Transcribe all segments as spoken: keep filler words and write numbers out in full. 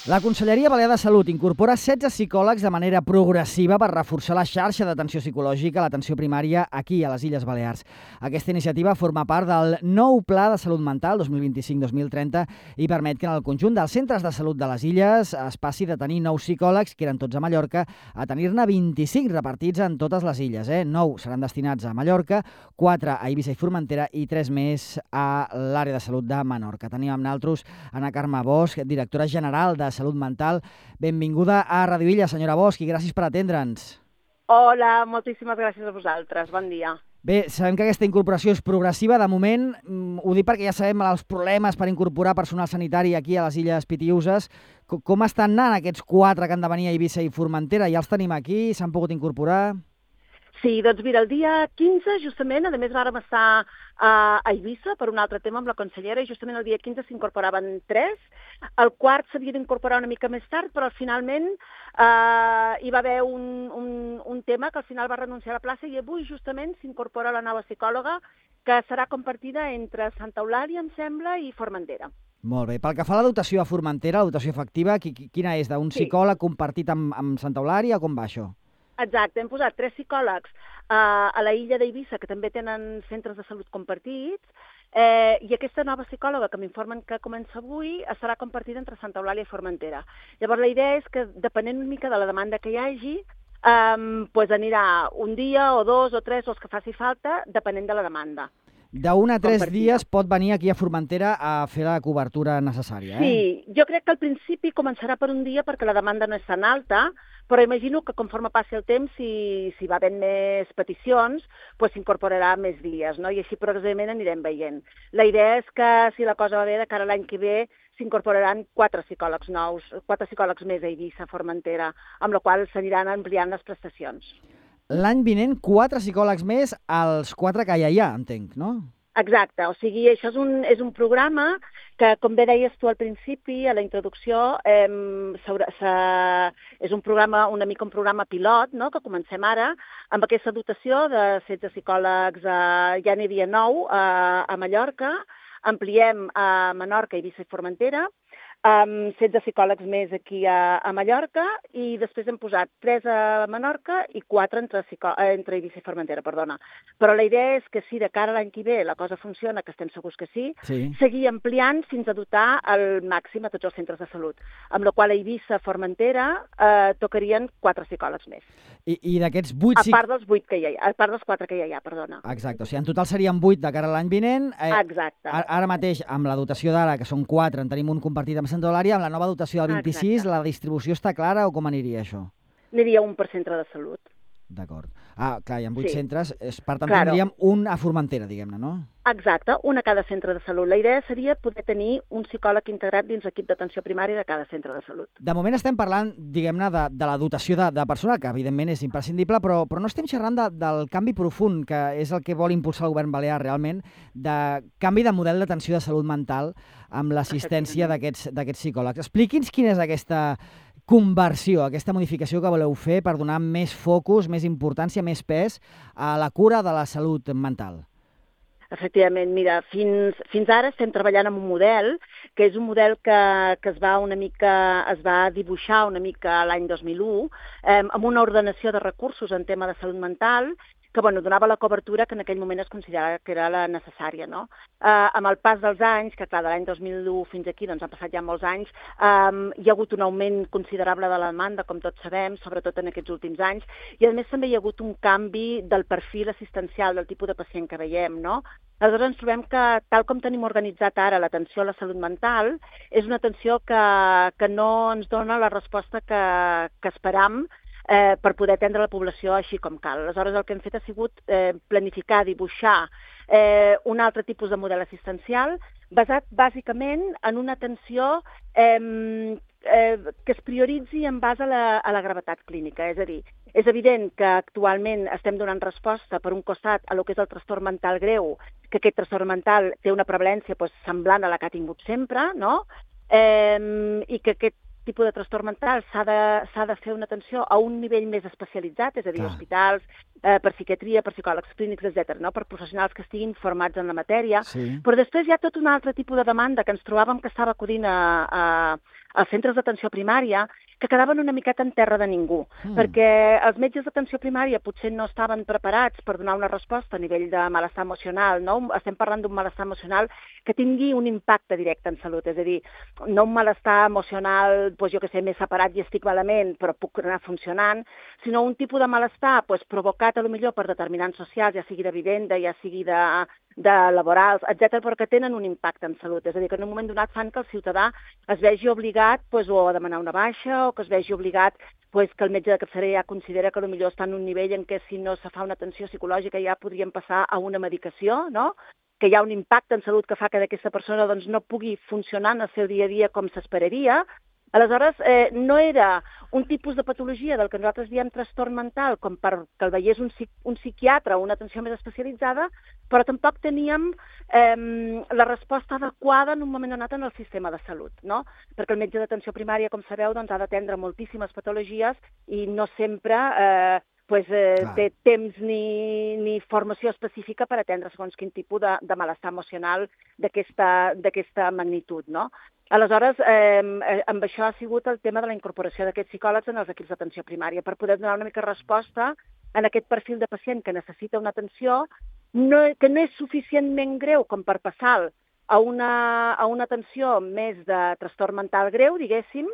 La Conselleria Balear de Salut incorpora setze psicòlegs de manera progressiva per reforçar la xarxa d'atenció psicològica a l'atenció primària aquí, a les Illes Balears. Aquesta iniciativa forma part del nou Pla de Salut Mental dos mil vint-i-cinc dos mil trenta i permet que en el conjunt dels centres de salut de les Illes es passi de tenir nou psicòlegs, que eren tots a Mallorca, a tenir-ne vint-i-cinc repartits en totes les illes. Eh? nou seran destinats a Mallorca, quatre a Eivissa i Formentera i tres més a l'àrea de salut de Menorca. Tenim amb nosaltres Anna Carme Bosch, directora general de Salut Mental. Benvinguda a Radio Illa, senyora Bosch, i gràcies per atendre'ns. Hola, moltíssimes gràcies a vosaltres. Bon dia. Bé, sabem que aquesta incorporació és progressiva. De moment, ho dic perquè ja sabem els problemes per incorporar personal sanitari aquí a les Illes Pitiüses. Com estan anant aquests quatre que han de venir a Eivissa i Formentera? Ja els tenim aquí? S'han pogut incorporar? Sí, doncs mira, el dia quinze, justament, a més vàrem estar a Eivissa per un altre tema amb la consellera i justament el dia quinze s'incorporaven tres. El quart s'havia d'incorporar una mica més tard, però finalment eh, hi va haver un, un, un tema que al final va renunciar a la plaça i avui justament s'incorpora la nova psicòloga que serà compartida entre Santa Eulàlia, em sembla, i Formentera. Molt bé. Pel que fa a la dotació a Formentera, la dotació efectiva, quina és? D'un Sí. psicòleg compartit amb, amb Santa Eulàlia o com va això? Exacte, hem posat tres psicòlegs eh, a la illa d'Eivissa, que també tenen centres de salut compartits, eh, i aquesta nova psicòloga, que m'informen que comença avui, serà compartida entre Santa Eulàlia i Formentera. Llavors, la idea és que, depenent una mica de la demanda que hi hagi, eh, pues anirà un dia o dos o tres, o els que faci falta, depenent de la demanda. D'un a tres Compartida. dies pot venir aquí a Formentera a fer la cobertura necessària, eh? Sí, jo crec que al principi començarà per un dia perquè la demanda no és tan alta, però imagino que conforme passi el temps, si, si va havent més peticions, pues s'incorporarà més dies, no? I així progressivament anirem veient. La idea és que, si la cosa va bé, de cara a l'any que ve s'incorporaran quatre psicòlegs nous, quatre psicòlegs més a Eivissa, Formentera, amb la qual s'aniran ampliant les prestacions. L'any vinent, quatre psicòlegs més als quatre que ja hi ha, entenc, no? Exacte, o sigui, això és un, és un programa que, com bé deies tu al principi, a la introducció, eh, sobre, se, és un programa, una mica un programa pilot, no?, que comencem ara, amb aquesta dotació de setze psicòlegs, eh, ja n'hi havia nou eh, a Mallorca, ampliem a Menorca, Eivissa i Formentera, amb setze psicòlegs més aquí a, a Mallorca, i després hem posat tres a Menorca i quatre entre, entre Eivissa i Formentera, perdona. Però la idea és que si de cara a l'any que ve la cosa funciona, que estem segurs que sí, Sí. seguir ampliant fins a dotar al màxim a tots els centres de salut, amb la qual a Eivissa, Formentera, eh, tocarien quatre psicòlegs més. I, i d'aquests vuit... A part dels vuit que hi ha, a part dels quatre que ja hi ha, perdona. Exacte, o sigui, en total serien vuit de cara a l'any vinent. Eh, Exacte. Ara, ara mateix, amb la dotació d'ara, que són quatre, en tenim un compartit amb Santa Eulàlia, amb la nova dotació del vint-i-sis, Exacte. la distribució està clara o com aniria això? N'hi un per centre de salut. D'acord. Ah, clar, hi ha vuit Sí. centres, és, per tant Claro. tindríem un a Formentera, diguem-ne, no? Exacte, un a cada centre de salut. La idea seria poder tenir un psicòleg integrat dins l'equip d'atenció primària de cada centre de salut. De moment estem parlant, diguem-ne, de, de la dotació de, de personal, que evidentment és imprescindible, però, però no estem xerrant de, del canvi profund, que és el que vol impulsar el govern balear realment, de canvi de model d'atenció de salut mental amb l'assistència d'aquests d'aquests psicòlegs. Expliqui'ns quina és aquesta conversió, aquesta modificació que voleu fer per donar més focus, més importància, més pes a la cura de la salut mental. Efectivament, mira, fins, fins ara estem treballant amb un model, que és un model que, que es va una mica, es va dibuixar una mica l'any dos mil u, eh, amb una ordenació de recursos en tema de salut mental, que bueno, donava la cobertura que en aquell moment es considerava que era la necessària, no? Eh, amb el pas dels anys, que clar, de l'any dos mil u fins aquí, doncs han passat ja molts anys, eh, hi ha hagut un augment considerable de la demanda, com tots sabem, sobretot en aquests últims anys, i a més també hi ha hagut un canvi del perfil assistencial, del tipus de pacient que veiem, no? Aleshores ens trobem que, tal com tenim organitzat ara l'atenció a la salut mental, és una atenció que, que no ens dona la resposta que, que esperam eh, per poder atendre la població així com cal. Aleshores el que hem fet ha sigut eh, planificar, dibuixar eh, un altre tipus de model assistencial basat bàsicament en una atenció eh, eh, que es prioritzi en base a la, a la gravetat clínica. És a dir, és evident que actualment estem donant resposta per un costat a lo que és el trastorn mental greu, que aquest trastorn mental té una prevalència doncs, semblant a la que ha tingut sempre, no? Eh, i que aquest tipus de trastorn mental s'ha de, s'ha de fer una atenció a un nivell més especialitzat, és a dir, Clar. hospitals, eh, per psiquiatria, per psicòlegs clínics, etcètera, no? Per professionals que estiguin formats en la matèria. Sí. Però després hi ha tot un altre tipus de demanda que ens trobàvem que estava acudint a, a, als centres d'atenció primària que quedaven una miqueta en terra de ningú, mm. perquè els metges d'atenció primària potser no estaven preparats per donar una resposta a nivell de malestar emocional, no? Estem parlant d'un malestar emocional que tingui un impacte directe en salut, és a dir, no un malestar emocional, doncs jo que sé, més separat i estic malament, però puc anar funcionant, sinó un tipus de malestar doncs, provocat a lo millor per determinants socials, ja sigui de vivenda, ja sigui de, de laborals, etcètera, però que tenen un impacte en salut. És a dir, que en un moment donat fan que el ciutadà es vegi obligat doncs, o a demanar una baixa o que es vegi obligat pues, que el metge de capçalera ja considera que potser està en un nivell en què si no se fa una atenció psicològica ja podríem passar a una medicació, no? Que hi ha un impacte en salut que fa que aquesta persona doncs, no pugui funcionar en el seu dia a dia com s'esperaria. Aleshores, eh, no era un tipus de patologia del que nosaltres diem trastorn mental, com perquè el veiés un, un psiquiatre o una atenció més especialitzada, però tampoc teníem eh, la resposta adequada en un moment donat en el sistema de salut, no? Perquè el metge d'atenció primària, com sabeu, doncs, ha d'atendre moltíssimes patologies i no sempre eh, pues, eh, té temps ni, ni formació específica per atendre segons quin tipus de, de malestar emocional d'aquesta magnitud, no? Aleshores, eh, amb això ha sigut el tema de la incorporació d'aquests psicòlegs en els equips d'atenció primària per poder donar una mica resposta en aquest perfil de pacient que necessita una atenció no, que no és suficientment greu com per passar a una, a una atenció més de trastorn mental greu, diguéssim,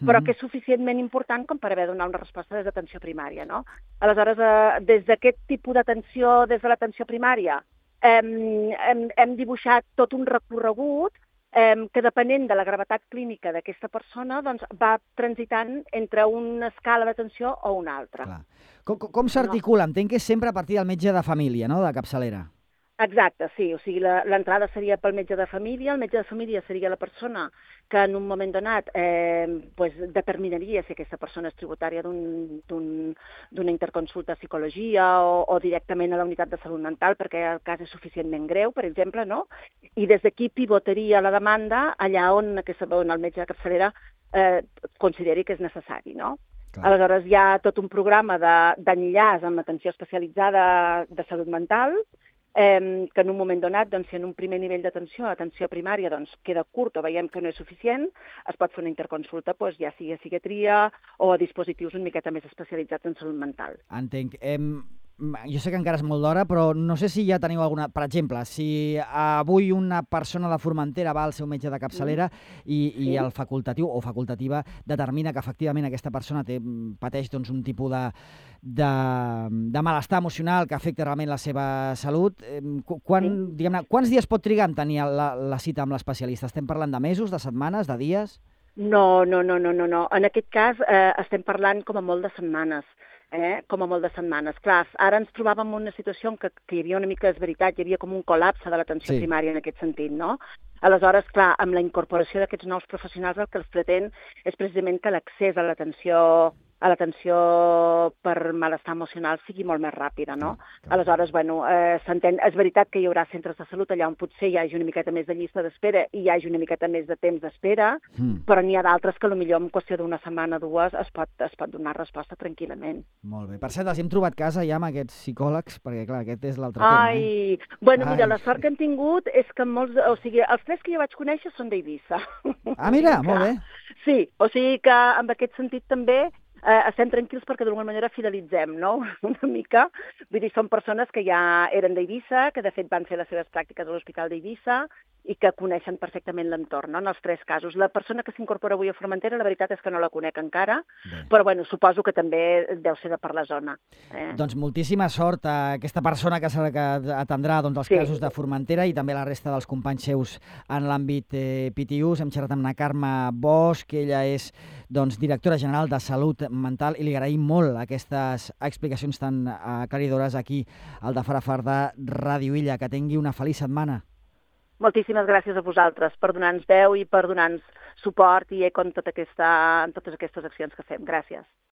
però que és suficientment important com per haver de donar una resposta des d'atenció primària, no? Aleshores, eh, des d'aquest tipus d'atenció, des de l'atenció primària, eh, hem, hem dibuixat tot un recorregut eh, que depenent de la gravetat clínica d'aquesta persona doncs, va transitant entre una escala d'atenció o una altra. Clar. Com, com s'articula? No. Entenc que és sempre a partir del metge de família, no?, de capçalera. Exacte, sí. O sigui, l'entrada seria pel metge de família. El metge de família seria la persona que en un moment donat eh, pues, determinaria si aquesta persona és tributària d'una un, interconsulta a psicologia o, o directament a la unitat de salut mental perquè el cas és suficientment greu, per exemple, no? I des d'aquí pivotaria la demanda allà on, aquesta, on el metge de capçalera eh, consideri que és necessari, no? Clar. Aleshores hi ha tot un programa d'enllaç amb atenció especialitzada de salut mental, Eh, que en un moment donat, doncs, si en un primer nivell d'atenció, atenció primària, doncs, queda curt o veiem que no és suficient, es pot fer una interconsulta, doncs, ja sigui a psiquiatria o a dispositius una miqueta més especialitzats en salut mental. Entenc. Eh, jo sé que encara és molt d'hora, però no sé si ja teniu alguna... Per exemple, si avui una persona de Formentera va al seu metge de capçalera mm. i, i sí. el facultatiu o facultativa determina que efectivament aquesta persona té, pateix doncs, un tipus de, de, de malestar emocional que afecta realment la seva salut, quan, sí. diguem-ne, quants dies pot trigar en tenir la, la cita amb l'especialista? Estem parlant de mesos, de setmanes, de dies? No, no, no, no, no. no. En aquest cas eh, estem parlant com a molt de setmanes. Eh, com a molt de setmanes. Clar, ara ens trobàvem en una situació en què, que hi havia una mica, és veritat, hi havia com un col·lapse de l'atenció sí. primària en aquest sentit, no? Aleshores, clar, amb la incorporació d'aquests nous professionals el que els pretén és precisament que l'accés a l'atenció a l'atenció per malestar emocional sigui molt més ràpida, no? Aleshores, bueno, eh, s'entén, és veritat que hi haurà centres de salut allà on potser hi hagi una miqueta més de llista d'espera i hi hagi una miqueta més de temps d'espera, mm. però n'hi ha d'altres que potser en qüestió d'una setmana o dues es pot, es pot donar resposta tranquil·lament. Molt bé. Per cert, els hem trobat casa ja amb aquests psicòlegs, perquè clar, aquest és l'altre tema. Ai, eh? bueno, Ai. mira, la sort que hem tingut és que molts, o sigui, els tres que jo vaig conèixer són d'Eivissa. Ah, mira, molt bé. Sí, o sigui que en aquest sentit també eh, estem tranquils perquè d'alguna manera fidelitzem, no?, una mica. Vull dir, són persones que ja eren d'Eivissa, que de fet van fer les seves pràctiques a l'Hospital d'Eivissa i que coneixen perfectament l'entorn, no?, en els tres casos. La persona que s'incorpora avui a Formentera, la veritat és que no la conec encara, bé. però bueno, suposo que també deu ser de per la zona. Eh? Doncs moltíssima sort a aquesta persona que, que atendrà doncs, els sí. casos de Formentera i també la resta dels companys seus en l'àmbit eh, P T Us. Hem xerrat amb la Carme Bosch, que ella és doncs, directora general de Salut Mental, i li agraïm molt aquestes explicacions tan aclaridores aquí al de Farafar de Ràdio Illa. Que tingui una feliç setmana. Moltíssimes gràcies a vosaltres per donar-nos veu i per donar-nos suport i eco en, tota aquesta, en totes aquestes accions que fem. Gràcies.